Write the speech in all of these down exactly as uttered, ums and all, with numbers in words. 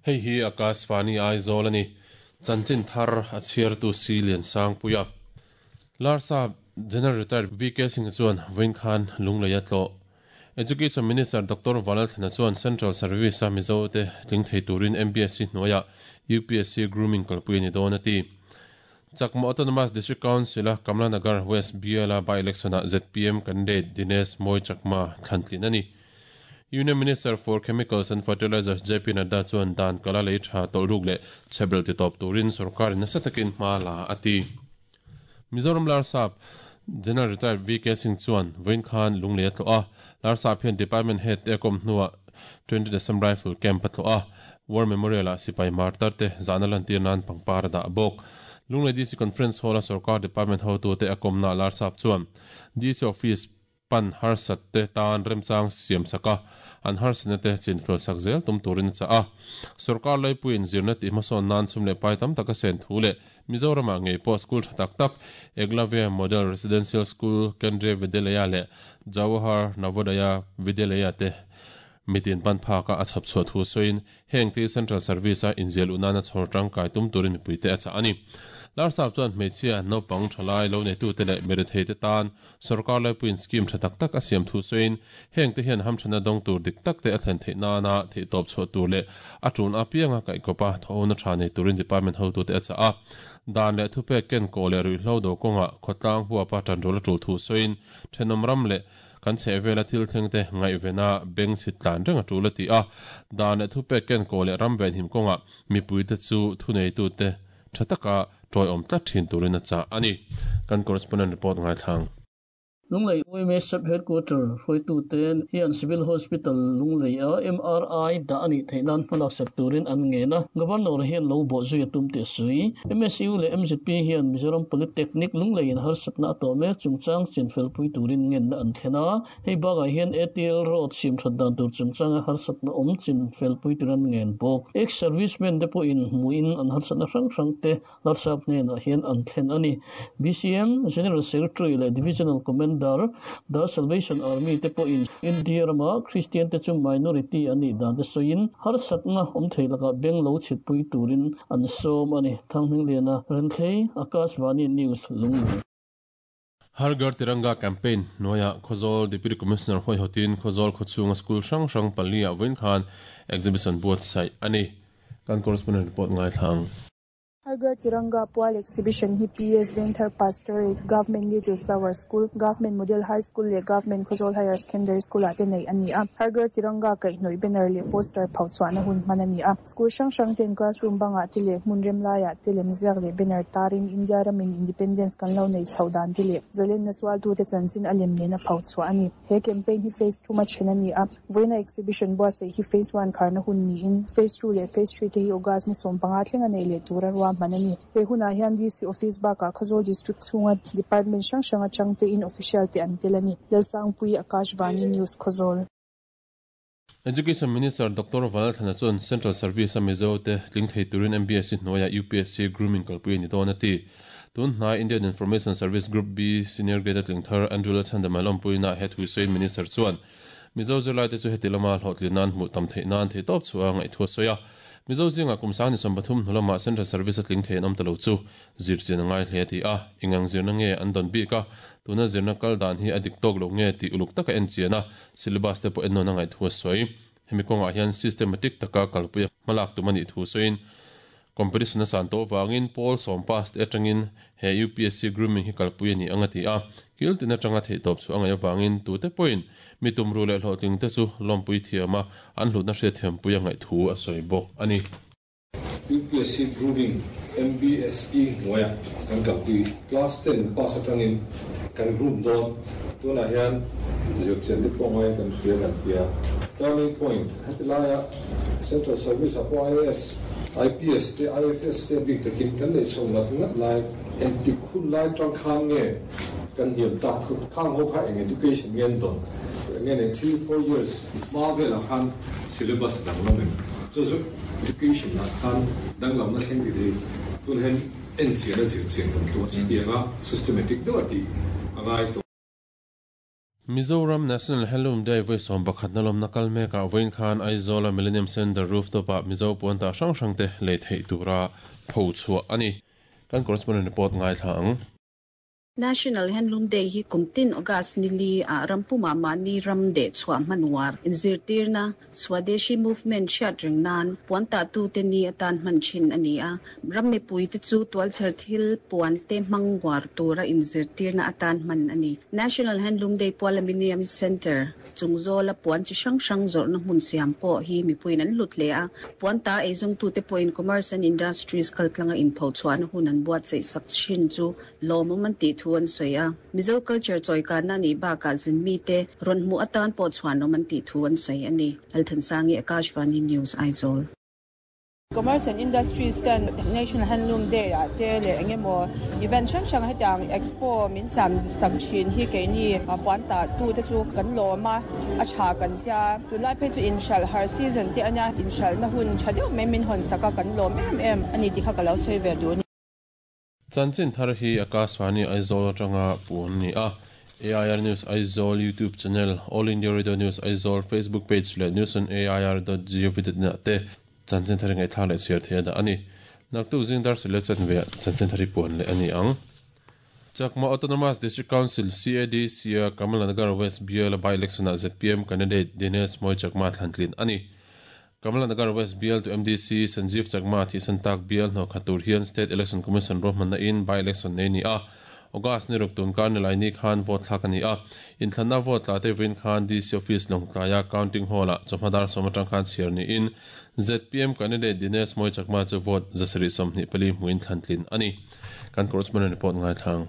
Hei hi Akashvani Aizawl ani. Chanchin thar a chhiartu si lian sang puia. Larsap General Retired V K Singh chuan vawiin khan lunglei a tlawh. Education Minister Doctor Vanlalthlana chuan Central Service a Mizo te tling thei turin M B S C hnuaiah U P S C grooming kalpui ani dawn a ti. Chakma Autonomous District Council a Kamla Nagar West B L a by-election ah Z P M candidate Dinesh Moi Chakma thlantlin ani. Union Minister for Chemicals and Fertilizers J P Nadda chuan dan kala lei tha tawlh ruk leh chhebrel ti tawp turin sarkarin nasa takin hma la a ti. Mizoram Larsap General Retired V K Singh chuan vawiin khan lunglei a tlawh a. Larsap hian Department Head te kom hnuah twenty December Rifle Camp a tlawh a. War Memorial ah sipai martar te zahna lantir nan pangpar a dah bawk. Lunglei D C Conference Hall a sarkar Department hotu te a komna Larsap chuan D C Office pan harsat te tan remchang siam saka an harsatna te chinfel sak zel tum turin a chah a. Sarkar laipuiin zirna tih hmasawn nan chhum leh pai tam taka sen thu leh Mizoramah ngei pawh school tha tak tak Eklavya Model Residential School Kendriya Vidyalaya leh Jawahar Navodaya Vidyalaya te mitin pan phaka a chhap chhuah thu sawiin heng te Central Service a inzial unana chhawr tangkai tum turin mipui te a chah ani. Larsap chuan hmeichhia naupang thalai lo neitu te leh mirethei te tan sarkar laipuiin scheme tha tak tak a siam thu sawiin heng te hian hamthana dawng tur dik tak te a thlen theih nana theih tawp chhuah tur leh a tun a pianga kaihkawpa thawhna tha nei turin department hotu te a chah a. Dan leh thupek ken kaw leh ruihhlo do kawnga khawtlang huapa tanrul a tul thu sawiin thenawm ram leh kan chhehvela thil thleng te ngaihvena beng chhit tlan reng a tul a ti a. Dan leh thupek ken kaw leh ram ven him kawnga mipui te chu thuneitu te tha taka tawi awm tlat thin turin a chah ani. Kan correspondent report ngai thlang. Lunglei U M S sub headquarter hruaitu ten hian Civil Hospital Lunglei a M R I da ani theinan hmalak sak turin an nge na. Governor hian lo bo zui tum te sui. M S U leh M Z P hian Mizoram Polytechnic Lunglei in harsatna a tawh mek chungchang chinfel pui turin ngen na an thlen a. Hei bakah hian A T L Road sim that dan tur chungchanga harsatna awm chinfel pui turin ngen bawk. Ex-servicemen te pawhin hmuin an harsatna hrang hrang te Larsap hnenah hian an thlen ani. B C M General Secretary leh Divisional Commander The Salvation Army te pawhin India rama Christian te chu minority ani dan te sawiin harsatna awm thei laka beng lo chhit pui turin an sawm ani. Thanghming Liana Renthlei Akashvani News Lunglei. Har Ghar Tiranga campaign hnuaiah Khawzawl Deputy Commissioner Hoi Hotin Khawzawl khawchhunga school hrang hrang pali ah vawiin khan exhibition buatsaih ani. Kan correspondent report ngai thlang. Har Ghar Tiranga Pual exhibition hi P S Vengthar Pastorate Government Little Flower School, Government Model High School leh Government Khawzawl Higher Secondary School ah te nei ani a. Har Ghar Tiranga kaihhnawih banner leh poster phauchhuahna hun hman ani a. School hrang hrang ten classroom bangah te leh hmun rem laiah te lemziak leh banner tarin India ramin independence kan lo nei chho dan te leh zalen na sual tu te chanchin a lem nena phauchhuah ani. He campaign hi phase two ma then ani a. Vawiina exhibition buatsaih hi phase one kharna hun niin phase two leh phase three te hi August ni sawm panga thleng a nei leh tura ruah manani. He hunah hian D C Office bakah Khawzawl District chhunga Department hrang hrang atang te in official te an tel ani. Lalsangpui Akashvani News Khawzawl. Education Minister Doctor Vanlalthlana chuan Central Service a Mizo te tling thei turin M B S C hnuaiah U P S C grooming kalpui ani dawn a ti. Tun hnai Indian Information Service Group B Senior Grade a tling thar Andrew Lalchhandama lawmpuina he thuisawiin Minister chuan Mizo zirlai te chu heti lama hlawhtlin nan hmuh tam theih nan thei tawp chu a ngaihthua sawi a. Mizo zinga kum sang ni sawm pathum hnulama Central Service a tling thei an awm ta lo chu zirchian a ngai hle ti a. Ingang zirna nge an dawn bik a, tuna zirna kal dan hi a dik tawk lo nge ti uluk taka en chian a, syllabus te pawh en nawn a ngaihthua sawi. Hemi kawngah hian systematic taka kalpui a hmalak tum ani thu sawiin competition a san tawh wangin Paul sawm pass te atangin he U P S C grooming hi kalpui ani anga ti a. Kil tin atanga theih tawp chu a ngaih awangin tute pawhin mi tumru leh hlawhtling te chu lawmpui thiam a an hlutna hriat thiampui a ngaih thu a sawi bawk ani. U P S C grooming M B S E hnuaiah kan kalpui class ten pass atangin kan groom dawn tunah hian zirchian te pawh ngai kan hria kan tia. Turning point heti laia Central Service a pawh I A S, I P S te I F S te bik takin kan nei chho ngat ngat lai engtik hun lai tang khan nge kan hniam tak thut khang ho kha eng education ngen dawn nge nei three four years hma velah khan syllabus dang lam em chu chu education lah khan danglam na thleng ti thei tun hian en chian a zirchian kan tu a chutianga systematic deuh a tih a ngai tawh. Mizoram National Handloom Day voi som pakhat na lom nakal meka voin khan Aizawl Millennium Center rooftop a Mizo puanta hrang hrang te lei thei tura pho chhuah ani. Kan correspondent report ngai thla ang. National Handloom Day hi kumtin August nili a rampuma mani ram de chhuah manwar inzirtirna Swadeshi movement hriat reng nan puanta tu te ni atan hman thin ani a ramme pui te chu tualchher thil puan te hmangwar tura inzirtirna atan hman ani. National Handloom Day pual Millennium Center chungzola puan chi hrang hrang zawrhna hmun siam pawh hi mipuiin an hlut hle a puanta eizawng tu te pawhin Commerce and Industries kaltlanga inpho chhuahna hun an buatsaih sak thin chu lawmawm an tih thu an sawi a. Mizo culture chawi na ni bakah zin mi te rawn hmuh atan pawh chhuanawm an tih thu an sawi ani. Lalthansangi, Akashvani News, Aizawl. Commerce and Industries ten National Handloom Day a te le engemaw event hrang hrang hetiang expo min sam sak thin hi keini puanta tu te chu kan lawm a a tha kan tia tunlai phei chu inhral har season te ania inhral na hun tha deuh mai min hawn saka kan lawm em em ani ti kha ka lo sawi ve duh. Chanchin thar hi Akashvani Aizawl atanga puan ni a. A I R News Aizawl YouTube channel, All India Radio News Aizawl Facebook page le news on A I R dot gov dot in te chanchin thar ngai thla le share thei da ani. Naktu zingdar sile chan ve chanchin thari puan le ani ang. Chakma Autonomous District Council C A D C a Kamalanagar West B L by election a Z P M candidate Dinesh Moi Chakma thlantlin ani. Kamalanagar West B L to M D C Sanjeev Chakma thi santak B L no khatur hian State Election Commission rohmanna in by election nei ni a. August ni ruk tun kar ni lai ni khan vote thlak ani a. In thlanna vote la te win khan D C office longtlaya counting hall a chawhmadar sawmatang khan chhiar ni in Z P M candidate Dinesh Moi Chakma chu vote zasari sawmhnih pali hmuin thlantlin ani. Kan correspondent report ngai thlang.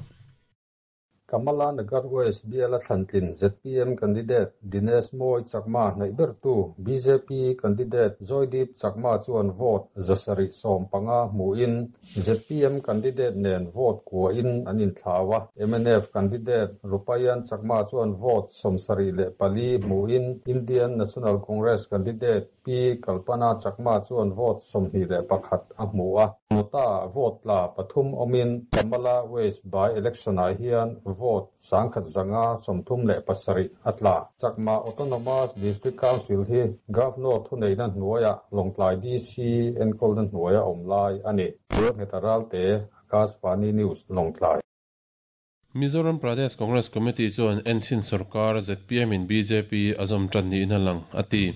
Kamalanagar West B L thlantlin Z P M candidate Dinesh Moi Chakma nei tu B J P candidate Joydeep Chakma chuan vote zasari som panga hmuin Z P M candidate nen vote kwa in an inthlawa M N F candidate Rupayan Chakma chuan vote somsari le pali hmuin Indian National Congress candidate P Kalpana Chakma chuan vote somhnih le pakhat a hmu a. Nota vote la pathum omin Kamala West by election a hian vote sangkhat zanga somthum le pasari atla. Chakma Autonomous District Council hi Governor thuneina hnuaia Longtlai D C enkawlna hnuaia awmlai ani. Hetaralte Akashvani News Longtlai. Mizoram Pradesh Congress Committee chuan Enchin Sarkar Z P M in B J P azom tan ni in lang ati.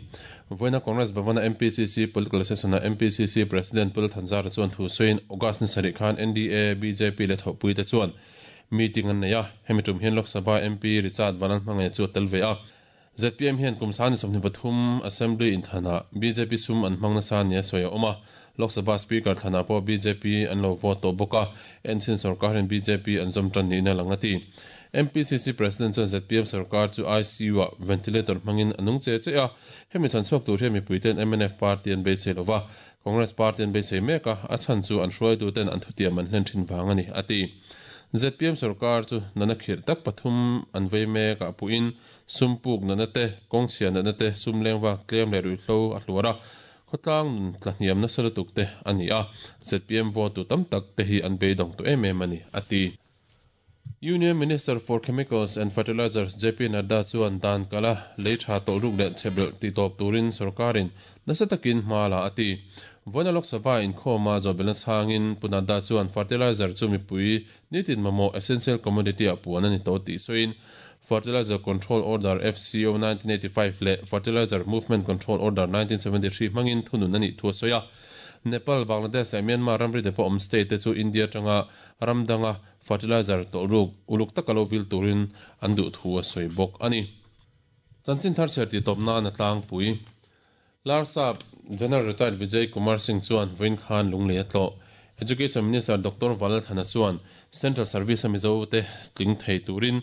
Voina Congress Bhavana M P C C political session M P C C President Pul Thanzar chuan thu sawiin August ni sarih khan N D A B J P le thawhpui te chuan meeting an nei a. Hemi tum hian Lok Sabha M P Richard Vanan hmangaih chu tel ve a. Z P M hian kum sani sawmhnih pathum Assembly inthana B J P sum an hmang nasa nia sawi a awm a. Lok Sabha Speaker thana pawh B J P an lo vote tawh bawk a. Enchin Sarkar hian B J P an zawm tan niin a lang ati. M P C C President chuan Z P M Sarkar chu I C U a ventilator hmangin a nung che che a. Hemi chan chhuak tur hian mipuiten M N F party an beisei lova. Congress party an beisei mek a, a chhan chu an hruaitu ten an thutiam an hlen thin vang ani ati. Z P M Sarkar chu nana khir tak pathum an vei mek a puin sumpuk nana te kawngchhia nana te sum lengwa tlem le ruihhlo a hluar a. Khawtlang nun tlahniam nasa lutuk te ani a. Z P M vote tu tam tak te hi an beidawng tu em em ani ati. Union Minister for Chemicals and Fertilizers J P Nadda chuan dan kala lei tha tawh ruk leh chhebel ti tawp turin sarkarin nasa takin hma la ati. Voina Lok Sabha inkhawma zawhbelna chhangin Pu Nadda chuan fertilizer chu mipui nitin mamawh essential commodity a puan ani tawh tih sawiin Fertilizer Control Order F C O nineteen eighty-five le Fertilizer Movement Control Order nineteen seventy-three hmangin thunun ani thu a sawi a. Nepal, Bangladesh leh Myanmar ramri te pawh awm state te chu India tanga ramdanga fertilizer tawh ruk uluk taka lo vil turin an duh thu a sawi bawk ani. Chanchin thar chher ti tawp nan a tlangpui. Larsap General Retired Vijay Kumar Singh chuan Vawiin khan lunglei a tlawh. Education Minister Doctor Valal Thana chuan Central Service a Mizo te tling thei turin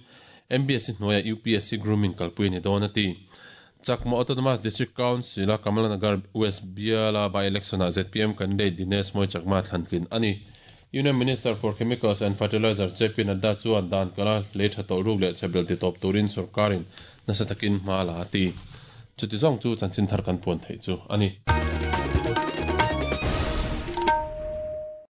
M B S C hnuaia U P S C grooming kalpui ni dawn ati. Chakma Autonomous District Council a Kamalanagar West Biala by election a Z P M candidate Dinesh Moi Chakma thlantlin ani. Union Minister for Chemicals and Fertilizer J P Nadda chuan dan kala lei tha tawh ruk leh chhebel ti tawp turin sarkarin nasa takin hma la ati. Chuti zawng chu chanchin thar kan puan theih chu ani.